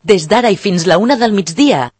Des d'ara i fins la 1 del migdia.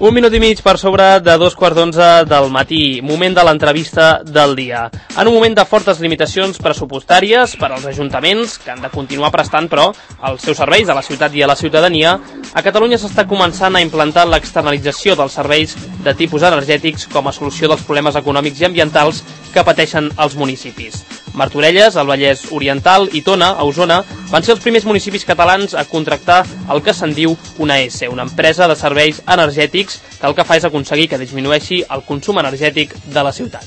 Un minut i mig per sobre de 2:15 del matí, moment de l'entrevista del dia. En un moment de fortes limitacions pressupostàries per als ajuntaments, que han de continuar prestant, però, els seus serveis a la ciutat i a la ciutadania, a Catalunya s'està començant a implantar l'externalització dels serveis de tipus energètics com a solució dels problemes econòmics i ambientals que pateixen els municipis. Martorelles, al Vallès Oriental, i Tona, a Osona, van ser els primers municipis catalans a contractar el que se'n diu una ESSE, una empresa de serveis energètics que el que fa és aconseguir que disminueixi el consum energètic de la ciutat.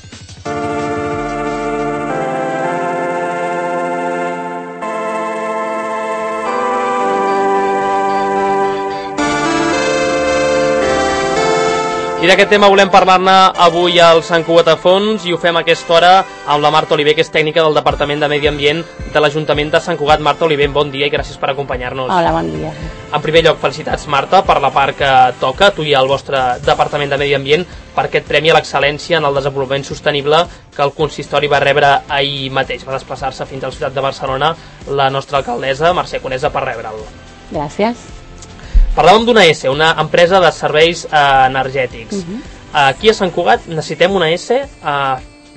I d'aquest tema volem parlar-ne avui al Sant Cugat a fons i ho fem a aquesta hora amb la Marta Oliver, que és tècnica del Departament de Medi Ambient de l'Ajuntament de Sant Cugat. Marta Oliver, bon dia i gràcies per acompanyar-nos. Hola, bon dia. En primer lloc, felicitats, Marta, per la part que toca, tu i el vostre Departament de Medi Ambient, per aquest Premi a l'Excel·lència en el Desenvolupament Sostenible que el consistori va rebre ahir mateix. Va desplaçar-se fins a la ciutat de Barcelona la nostra alcaldessa, Mercè Conesa, per rebre'l. Gràcies. Parlàvem d'una ESSE, una empresa de serveis energètics. Aquí a Sant Cugat necessitem una ESSE.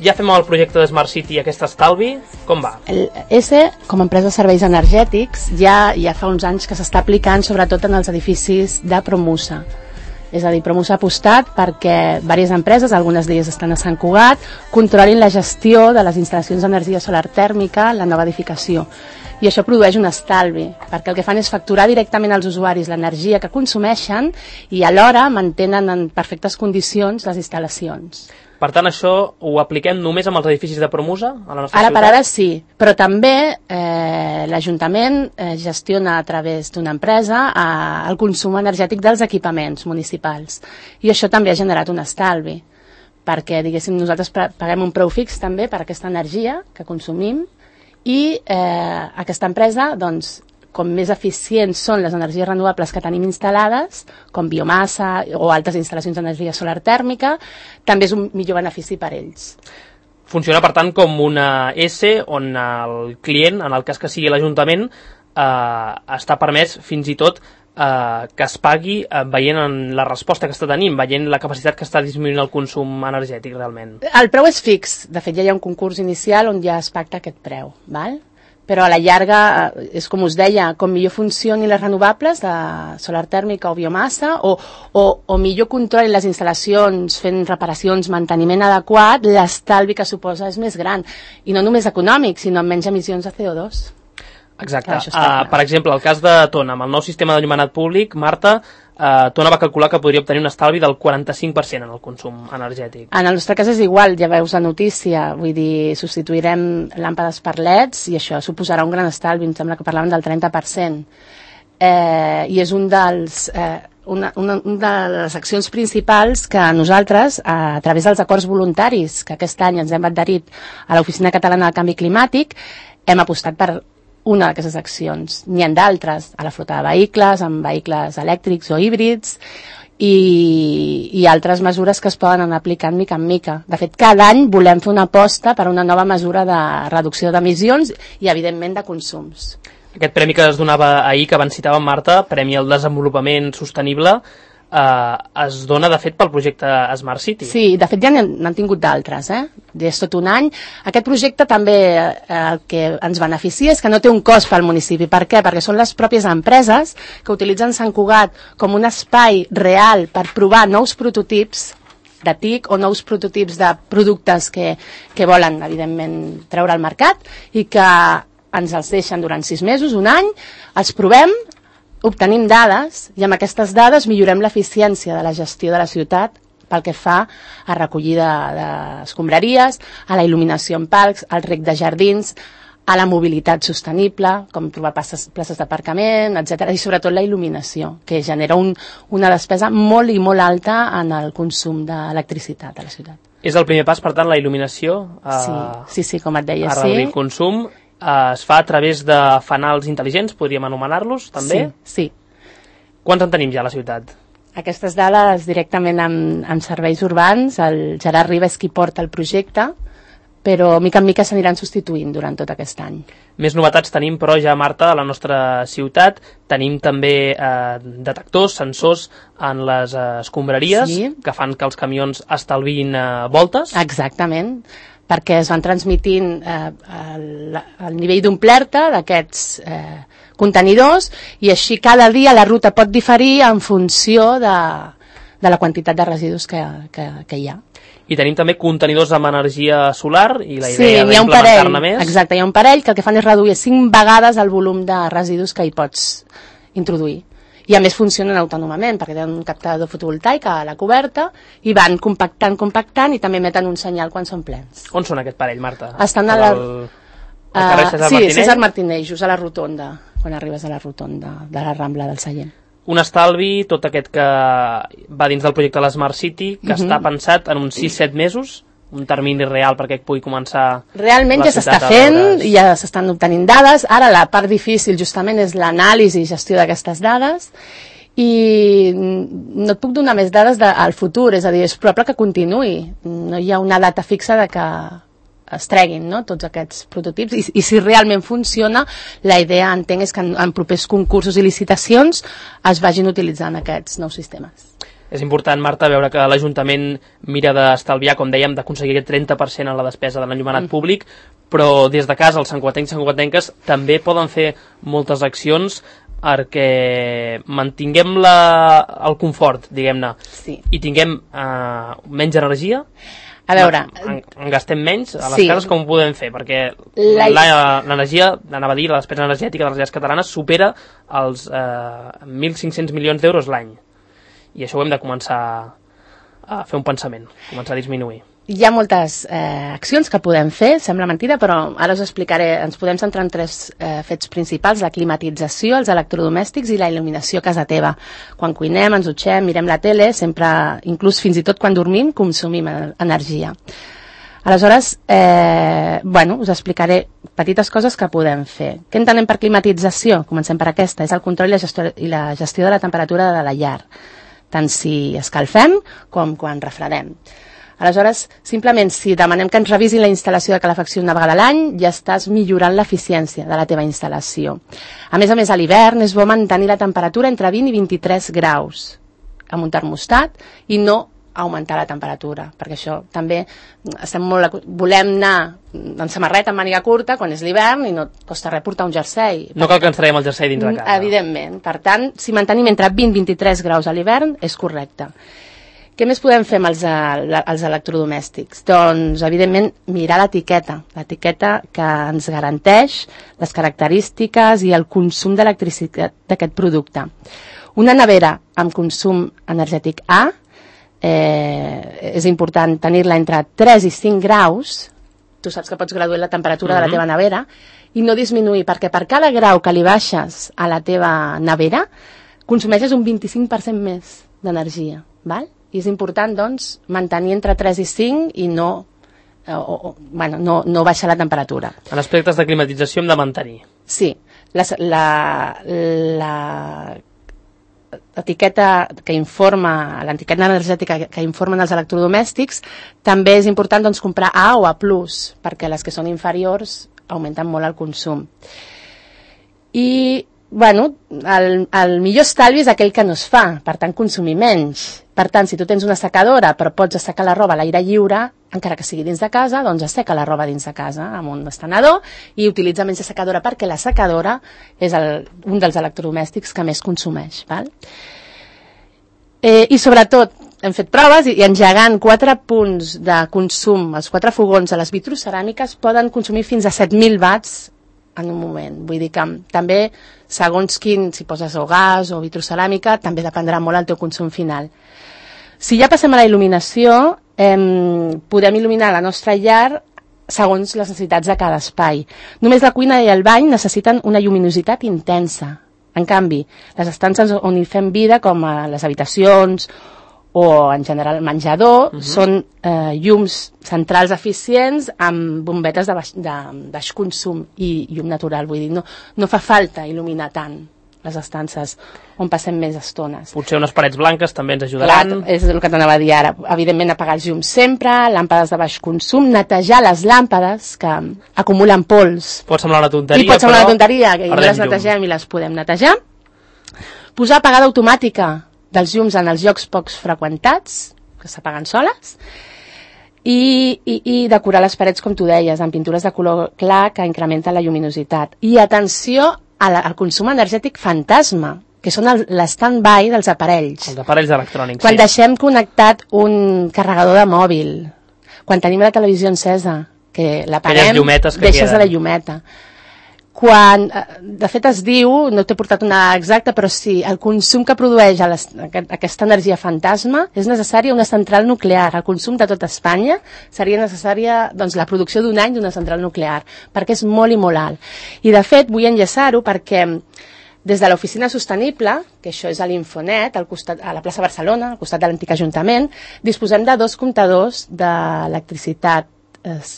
Ja fem el projecte de Smart City i aquest estalvi. Com va? El ESSE, com a empresa de serveis energètics, ja fa uns anys que s'està aplicant sobretot en els edificis de Promusa. És a dir, Promusa ha apostat perquè diverses empreses, algunes d'elles estan a Sant Cugat, controlin la gestió de les instal·lacions d'energia solar tèrmica en la nova edificació. I això produeix un estalvi, perquè el que fan és facturar directament als usuaris l'energia que consumeixen i alhora mantenen en perfectes condicions les instal·lacions. Per tant, això ho apliquem només amb els edificis de Promusa a la nostra ciutat? Ara per ara sí, però també l'Ajuntament gestiona a través d'una empresa el consum energètic dels equipaments municipals i això també ha generat un estalvi, perquè diguéssim nosaltres paguem un preu fix també per aquesta energia que consumim i aquesta empresa, doncs, com més eficients són les energies renovables que tenim instal·lades, com biomassa o altres instal·lacions d'energia solar tèrmica, també és un millor benefici per ells. Funciona, per tant, com una ESSE on el client, en el cas que sigui l'Ajuntament, està permès fins i tot que es pagui veient en la resposta que està tenint, veient la capacitat que està disminuint el consum energètic realment. El preu és fix, de fet ja hi ha un concurs inicial on ja es pacta aquest preu, val? Però a la llarga, és com us deia, com millor funcionin les renovables de solar tèrmica o biomassa o millor controlin les instal·lacions fent reparacions, manteniment adequat, l'estalvi que suposa és més gran i no només econòmic, sinó amb menys emissions de CO2. Exacte. Per exemple, el cas de Tona, amb el nou sistema d'enllumenat públic, Marta, Tona va calcular que podria obtenir un estalvi del 45% en el consum energètic. En el nostre cas és igual, ja veus la notícia, vull dir, substituirem làmpades per LEDs i això suposarà un gran estalvi, em sembla que parlaven del 30%. I és una de les accions principals que nosaltres, a través dels acords voluntaris, que aquest any ens hem adherit a l'Oficina Catalana del Canvi Climàtic, hem apostat per una d'aquestes accions. N'hi ha d'altres, a la flota de vehicles, amb vehicles elèctrics o híbrids, i altres mesures que es poden anar aplicant mica en mica. De fet, cada any volem fer una aposta per una nova mesura de reducció d'emissions i, evidentment, de consums. Aquest premi que es donava ahir, que abans citàvem, Marta, Premi al Desenvolupament Sostenible, es dona, de fet, pel projecte Smart City. Sí, de fet ja n'han tingut d'altres, és tot un any. Aquest projecte també el que ens beneficia és que no té un cost pel municipi. Per què? Perquè són les pròpies empreses que utilitzen Sant Cugat com un espai real per provar nous prototips de TIC o nous prototips de productes que volen, evidentment, treure al mercat i que ens els deixen durant 6 mesos, un any, els provem, obtenim dades i amb aquestes dades millorem l'eficiència de la gestió de la ciutat pel que fa a recollida d'escombraries, a la il·luminació en parcs, al reg de jardins, a la mobilitat sostenible, com trobar places d'aparcament, etc. I sobretot la il·luminació, que genera una despesa molt i molt alta en el consum d'electricitat a la ciutat. És el primer pas, per tant, la il·luminació? Sí, com et deia, sí. A reduir el consum. Es fa a través de fanals intel·ligents, podríem anomenar-los, també? Sí. Quants en tenim ja a la ciutat? Aquestes dades directament amb serveis urbans, el Gerard Riba és qui porta el projecte, però mica en mica s'aniran substituint durant tot aquest any. Més novetats tenim, però ja, Marta, a la nostra ciutat. Tenim també detectors, sensors en les escombraries, que fan que els camions estalviïn voltes. Exactament, perquè es van transmitint el nivell d'omplerta d'aquests contenidors i així cada dia la ruta pot diferir en funció de la quantitat de residus que hi ha. I tenim també contenidors amb energia solar i la idea d'implementar-ne més. Exacte, hi ha un parell que el que fan és reduir 5 vegades el volum de residus que hi pots introduir. I a més funcionen autònomament, perquè tenen un captador fotovoltaic a la coberta i van compactant i també emeten un senyal quan són plens. On són aquest parell, Marta? Estan a carrer César Martinell? Sí, César Martinell, just a la rotonda, quan arribes a la rotonda de la Rambla del Sallent. Un estalvi, tot aquest que va dins del projecte de l'Smart City, que està pensat en uns 6-7 mesos, un termini real perquè pugui començar... Realment ja s'està fent, ja s'estan obtenint dades. Ara la part difícil justament és l'anàlisi i gestió d'aquestes dades i no et puc donar més dades al futur, és a dir, és probable que continuï. No hi ha una data fixa de que es treguin, no?, tots aquests prototips i si realment funciona, la idea, entenc, és que en propers concursos i licitacions es vagin utilitzant aquests nous sistemes. És important, Marta, veure que l'Ajuntament mira d'estalviar, com dèiem, d'aconseguir aquest 30% en la despesa de l'enllumenat públic, però des de casa els santcugatencs i santcugatenques també poden fer moltes accions perquè mantinguem el confort, diguem-ne, i tinguem menys energia. A veure... En gastem menys a les cases, com ho podem fer? Perquè l'energia, anava a dir, la despesa energètica de les llars catalanes supera els 1.500 milions d'euros l'any. I això ho hem de començar a fer un pensament, començar a disminuir. Hi ha moltes accions que podem fer, sembla mentida, però ara us explicaré. Ens podem centrar en 3 fets principals: la climatització, els electrodomèstics i la il·luminació a casa teva. Quan cuinem, ens dutxem, mirem la tele, sempre, inclús fins i tot quan dormim, consumim energia. Aleshores, us explicaré petites coses que podem fer. Què entenem per climatització? Comencem per aquesta. És el control i la gestió de la temperatura de la llar, tant si escalfem com quan refredem. Aleshores, simplement, si demanem que ens revisin la instal·lació de calefacció una vegada a l'any, ja estàs millorant l'eficiència de la teva instal·lació. A més, a l'hivern és bo mantenir la temperatura entre 20 i 23 graus amb un termostat i no augmentar la temperatura, perquè això també volem anar en samarreta amb màniga curta quan és l'hivern i no et costa res portar un jersei. No cal que ens traiem el jersei dins de casa. Evidentment. Per tant, si mantenim entre 20 i 23 graus a l'hivern, és correcte. Què més podem fer amb els electrodomèstics? Doncs, evidentment, mirar l'etiqueta que ens garanteix les característiques i el consum d'electricitat d'aquest producte. Una nevera amb consum energètic A, és important tenir-la entre 3 i 5 graus, tu saps que pots graduar la temperatura de la teva nevera, i no disminuir, perquè per cada grau que li baixes a la teva nevera, consumeixes un 25% més d'energia, val? I és important, doncs, mantenir entre 3 i 5 i no baixar la temperatura. En aspectes de climatització hem de mantenir. Sí. L'etiqueta que informa, l'etiqueta energètica que informen els electrodomèstics, també és important, doncs, comprar A o A+, perquè les que són inferiors augmenten molt el consum. I el millor estalvi és aquell que no es fa, per tant consumir menys. Per tant, si tu tens una secadora però pots assecar la roba a l'aire lliure, encara que sigui dins de casa, doncs asseca la roba dins de casa amb un estenedor i utilitza menys la secadora, perquè la secadora és un dels electrodomèstics que més consumeix, val? I sobretot hem fet proves i engegant 4 punts de consum, els 4 fogons a les vitroceràmiques poden consumir fins a 7.000 watts en un moment. Vull dir que també, segons quin, si poses o gas o vitroceràmica, també dependrà molt el teu consum final. Si ja passem a la il·luminació, podem il·luminar la nostra llar segons les necessitats de cada espai. Només la cuina i el bany necessiten una lluminositat intensa. En canvi, les estances on hi fem vida, com a les habitacions o en general el menjador, són llums centrals eficients amb bombetes de baix consum i llum natural. Vull dir, no fa falta il·luminar tant. les estances on passem més estones. Potser unes parets blanques també ens ajudaran. Clar, és el que t'anava a dir ara. Evidentment, apagar els llums sempre, làmpades de baix consum, netejar les làmpades que acumulen pols. Pot semblar una tonteria, I pot semblar una tonteria, que perdem les netegem i les podem netejar. Posar apagada automàtica dels llums en els llocs pocs freqüentats, que s'apaguen soles, i decorar les parets, com tu deies, amb pintures de color clar que incrementen la lluminositat. I atenció al consum energètic fantasma, que són l'stand-by dels aparells. Els aparells electrònics, quan deixem connectat un carregador de mòbil, quan tenim la televisió encesa, que l'apaguem, deixes de la llumeta. Quan, de fet es diu, no t'he portat una exacta, però sí, el consum que produeix aquesta energia fantasma és necessària una central nuclear. El consum de tota Espanya seria necessària, doncs, la producció d'un any d'una central nuclear, perquè és molt i molt alt. I de fet vull enllaçar-ho perquè des de l'Oficina Sostenible, que això és a l'Infonet, a la plaça Barcelona, al costat de l'antic Ajuntament, disposem de 2 comptadors d'electricitat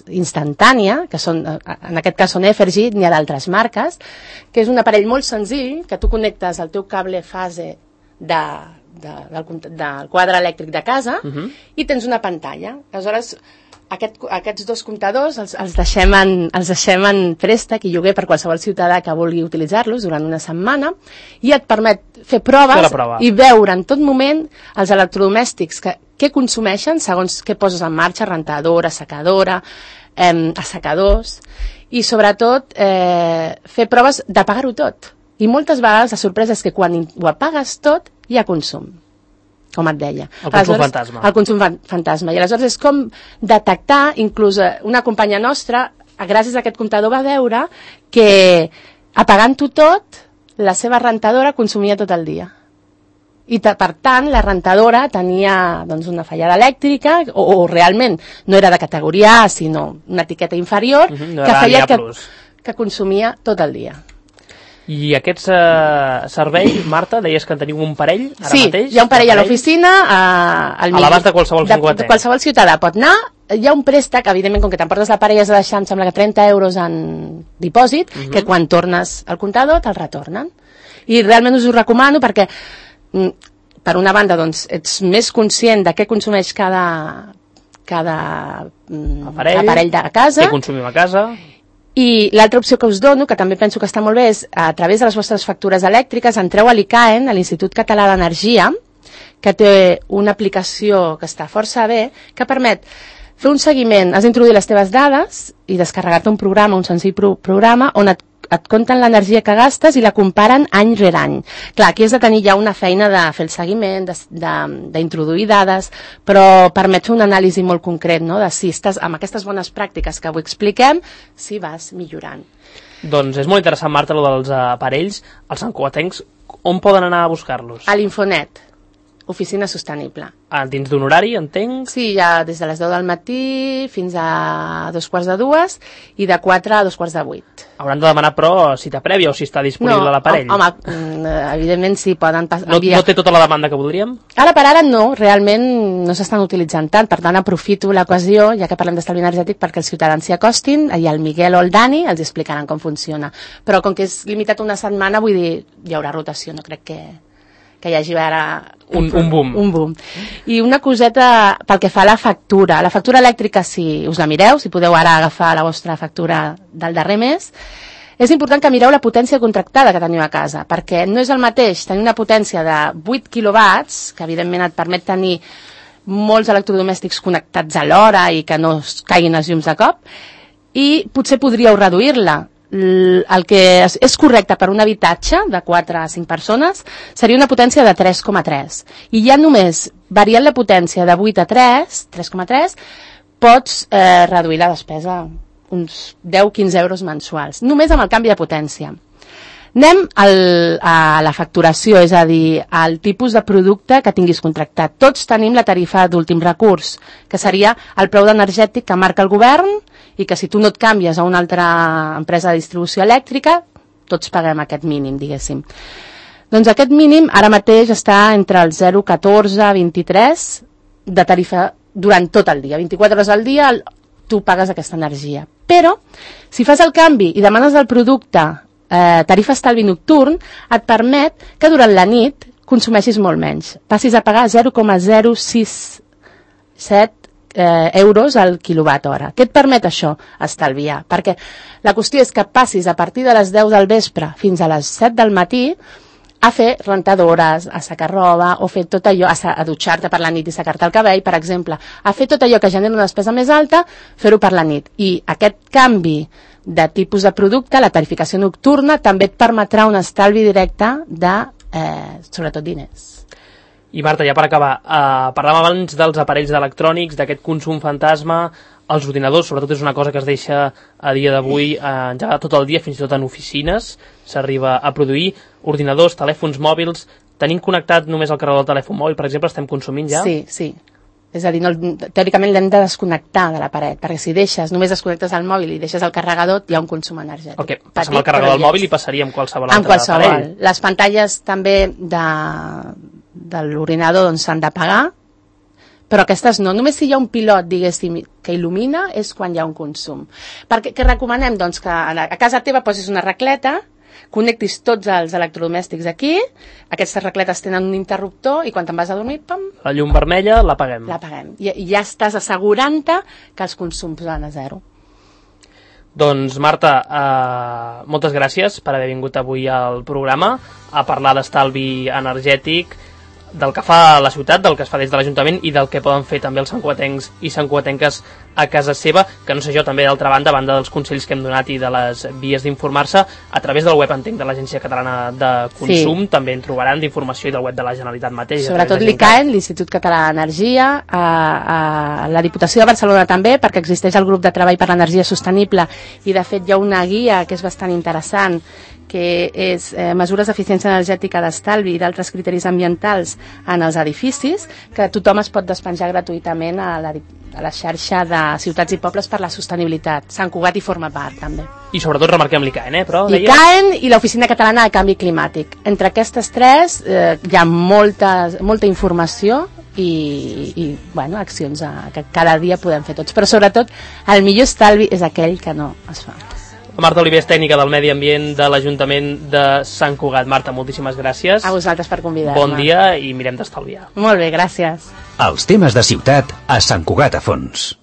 instantània, que són, en aquest cas són Evergy, n'hi ha d'altres marques, que és un aparell molt senzill, que tu connectes el teu cable fase del quadre elèctric de casa i tens una pantalla. Aleshores, aquests 2 comptadors els deixem en préstec i lloguer per qualsevol ciutadà que vulgui utilitzar-los durant una setmana i et permet fer proves i veure en tot moment els electrodomèstics què consumeixen segons què poses en marxa, rentadora, assecadora, assecadors, i sobretot fer proves d'apagar-ho tot. I moltes vegades la sorpresa és que quan ho apagues tot hi ha consum, com et deia. El consum fantasma. El consum fantasma. I aleshores és com detectar, inclús una companya nostra, gràcies a aquest comptador va veure que apagant-ho tot, la seva rentadora consumia tot el dia. I per tant la rentadora tenia doncs, una fallada elèctrica o realment no era de categoria A sinó una etiqueta inferior que feia que consumia tot el dia. I aquest servei, Marta, deies que en teniu un parell ara mateix? Sí, hi ha un parell a l'oficina a l'abast de qualsevol ciutadà. Qualsevol ciutadà pot anar. Hi ha un préstec, evidentment, com que t'emportes l'aparell has de deixar, em sembla que 30 euros en dipòsit, que quan tornes al comptador te'l retornen. I realment us ho recomano perquè per una banda doncs, ets més conscient de què consumeix cada aparell de casa. Què consumim a casa. I l'altra opció que us dono, que també penso que està molt bé, és a través de les vostres factures elèctriques entreu a l'ICAEN, a l'Institut Català d'Energia, que té una aplicació que està força bé, que permet fer un seguiment. Has d'introduir les teves dades i descarregar-te un programa, un senzill programa, on et compten l'energia que gastes i la comparen any rere any. Clar, aquí has de tenir ja una feina de fer el seguiment, d'introduir dades, però permet fer un anàlisi molt concret, no?, de si estàs amb aquestes bones pràctiques que avui expliquem, si vas millorant. Doncs és molt interessant, Marta, el dels aparells. Els santcugatencs, on poden anar a buscar-los? A l'Infonet, Oficina Sostenible. Dins d'un horari, entenc? Sí, ja des de les 10 del matí fins a 2:45 i de 4 a 7:45. Hauran de demanar, però, cita prèvia o si està disponible l'aparell? No, home, evidentment sí, poden enviar. No té tota la demanda que voldríem? Ara per ara no, realment no s'estan utilitzant tant, per tant aprofito l'ocasió, ja que parlem d'estalvi energètic, perquè els ciutadans s'hi acostin, i el Miguel o el Dani els explicaran com funciona. Però com que és limitat una setmana, vull dir, hi haurà rotació, no crec que hi hagi ara un boom. Un boom. I una coseta pel que fa a la factura. La factura elèctrica, si us la mireu, si podeu ara agafar la vostra factura del darrer mes, és important que mireu la potència contractada que teniu a casa, perquè no és el mateix tenir una potència de 8 quilowatts, que evidentment et permet tenir molts electrodomèstics connectats alhora i que no caiguin els llums de cop, i potser podríeu reduir-la. El que és correcte per un habitatge de 4 a 5 persones seria una potència de 3,3 i ja només variant la potència de 8 a 3,3 pots reduir la despesa uns 10-15 euros mensuals, només amb el canvi de potència. Anem a la facturació, és a dir, al tipus de producte que tinguis contractat. Tots tenim la tarifa d'últim recurs, que seria el preu energètic que marca el govern i que si tu no et canvies a una altra empresa de distribució elèctrica, tots paguem aquest mínim, diguéssim. Doncs aquest mínim ara mateix està entre el 0,14 i 23 de tarifa durant tot el dia. 24 hores al dia tu pagues aquesta energia. Però, si fas el canvi i demanes el producte tarifa estalvi nocturn et permet que durant la nit consumeixis molt menys. Passis a pagar 0,067 euros al quilowatt hora. Què et permet això? Estalviar. Perquè la qüestió és que passis a partir de les 10 del vespre fins a les 7 del matí a fer rentadores, a secar roba, o fer tot allò, a dutxar-te per la nit i secar-te el cabell, per exemple. A fer tot allò que genera una despesa més alta, fer-ho per la nit. I aquest canvi de tipus de producte, la tarificació nocturna, també et permetrà un estalvi directe de, sobretot, diners. I Marta, ja per acabar, parlàvem abans dels aparells electrònics, d'aquest consum fantasma, els ordinadors, sobretot és una cosa que es deixa a dia d'avui engegar tot el dia, fins i tot en oficines, s'arriba a produir. Ordinadors, telèfons mòbils, tenim connectat només el carregador del telèfon mòbil, per exemple, estem consumint ja? Sí, sí. És a dir, teòricament l'hem de desconnectar de la paret, perquè si només desconnectes el mòbil i deixes el carregador, hi ha un consum energètic. Ok, passem el carregador del mòbil i passaria amb qualsevol altre qualsevol. aparell. Les pantalles també de l'ordinador doncs, s'han de pagar, però aquestes no. Només si hi ha un pilot, diguéssim, que il·lumina, és quan hi ha un consum. Què recomanem? Doncs que a casa teva posis una racleta, connectis tots els electrodomèstics aquí, aquestes racletes tenen un interruptor i quan te'n vas a dormir, pam... La llum vermella l'apaguem. L'apaguem. I ja estàs assegurant-te que els consums van a zero. Doncs Marta, moltes gràcies per haver vingut avui al programa a parlar d'estalvi energètic, del que fa la ciutat, del que es fa des de l'Ajuntament i del que poden fer també els santcugatencs i santcugatenques a casa seva, que no sé jo, també d'altra banda, a banda dels consells que hem donat i de les vies d'informar-se, a través del web, entenc, de l'Agència Catalana de Consum, també en trobaran d'informació i del web de la Generalitat mateix. Sobretot l'ICAEN, l'Institut Català d'Energia, a la Diputació de Barcelona també, perquè existeix el grup de treball per l'energia sostenible i de fet hi ha una guia que és bastant interessant, que és mesures d'eficiència energètica d'estalvi i d'altres criteris ambientals en els edificis, que tothom es pot despenjar gratuïtament a la xarxa de ciutats i pobles per la sostenibilitat. Sant Cugat hi forma part, també. I sobretot remarquem l'ICAEN, però... L'ICAEN i l'Oficina Catalana de Canvi Climàtic. Entre aquestes tres hi ha molta informació i bueno, accions que cada dia podem fer tots. Però sobretot, el millor estalvi és aquell que no es fa. Marta Oliver és tècnica del Medi Ambient de l'Ajuntament de Sant Cugat. Marta, moltíssimes gràcies. A vosaltres per convidar-me. Bon dia i mirem d'estalviar. Molt bé, gràcies. Els temes de ciutat a Sant Cugat a fons.